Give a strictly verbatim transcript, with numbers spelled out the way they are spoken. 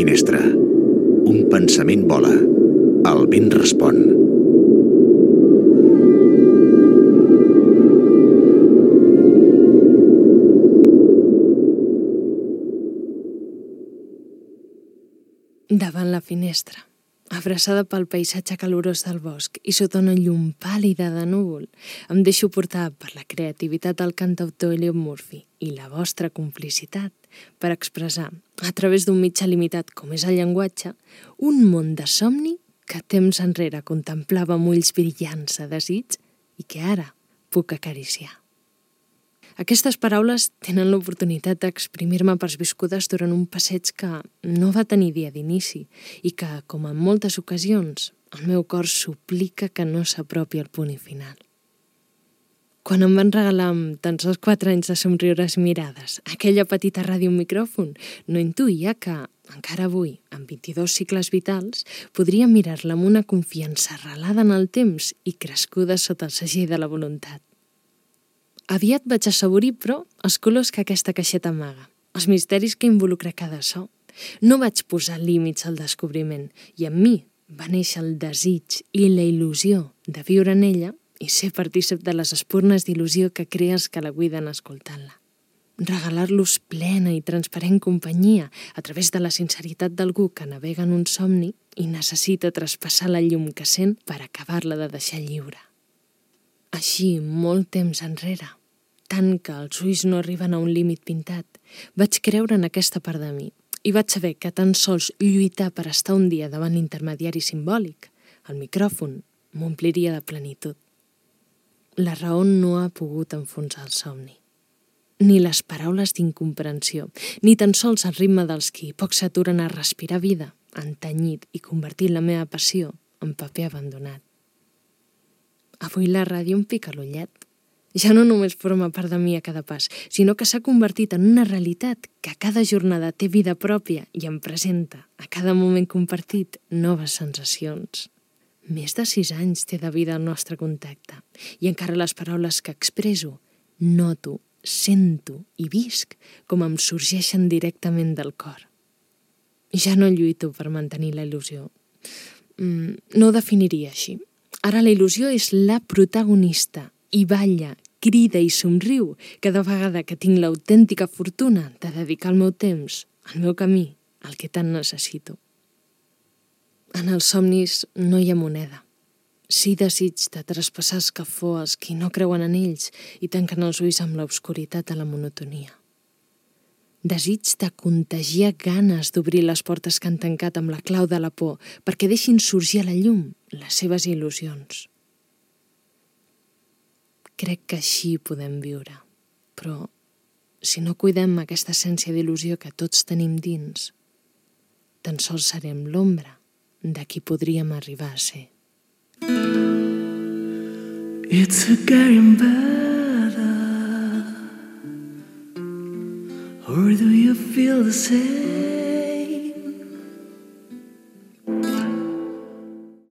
finestra. Un pensament vola. El vent respon. Davant la finestra, abraçada pel paisatge calorós del bosc i sota una llum pàl·lida de núvol, em deixo portar per la creativitat del cantautor Elliot Murphy i la vostra complicitat per expressar, a través d'un mitjà limitat com és el llenguatge, un món de somni que temps enrere contemplava amb ulls brillants de desig i que ara puc acariciar. Aquestes paraules tenen l'oportunitat d'exprimir-me persviscudes durant un passeig que no va tenir dia d'inici i que, com en moltes ocasions, el meu cor suplica que no s'apropi al punt final. Quan em van regalar amb tan sols quatre anys de somriures mirades aquella petita ràdio micròfon, no intuïa que, encara avui, amb vint-i-dos cicles vitals, podria mirar-la amb una confiança arrelada en el temps i crescuda sota el segell de la voluntat. Aviat vaig assaborir, però, els colors que aquesta caixeta amaga, els misteris que involucra cada so. No vaig posar límits al descobriment i en mi va néixer el desig i la il·lusió de viure en ella i ser partícip de les espurnes d'il·lusió que crees que la cuiden escoltant-la. Regalar-los plena i transparent companyia a través de la sinceritat d'algú que navega en un somni i necessita traspassar la llum que sent per acabar-la de deixar lliure. Així, molt temps enrere, tant que els ulls no arriben a un límit pintat, vaig creure en aquesta part de mi i vaig saber que tan sols lluitar per estar un dia davant l'intermediari simbòlic, el micròfon, m'ompliria de plenitud. La raó no ha pogut enfonsar el somni. Ni les paraules d'incomprensió, ni tan sols el ritme dels qui poc s'aturen a respirar vida han tenyit i convertit la meva passió en paper abandonat. Avui la ràdio em pica l'ullet. Ja no només forma part de mi a cada pas, sinó que s'ha convertit en una realitat que a cada jornada té vida pròpia i em presenta, a cada moment compartit, noves sensacions. Més de sis anys té de vida el nostre contacte i encara les paraules que expresso, noto, sento i visc com em sorgeixen directament del cor. Ja no lluito per mantenir la il·lusió. Mm, no ho definiria així. Ara la il·lusió és la protagonista i balla, crida i somriu cada vegada que tinc l'autèntica fortuna de dedicar el meu temps, el meu camí, al que tant necessito. En els somnis no hi ha moneda. Sí desig de traspassar escafó als qui no creuen en ells i tanquen els ulls amb l'obscuritat de la monotonia. Desig de contagiar ganes d'obrir les portes que han tancat amb la clau de la por perquè deixin sorgir a la llum les seves il·lusions. Crec que així podem viure, però si no cuidem aquesta essència d'il·lusió que tots tenim dins, tan sols serem l'ombra de qui podríem arribar a ser. It's a getting better, or do you feel the same?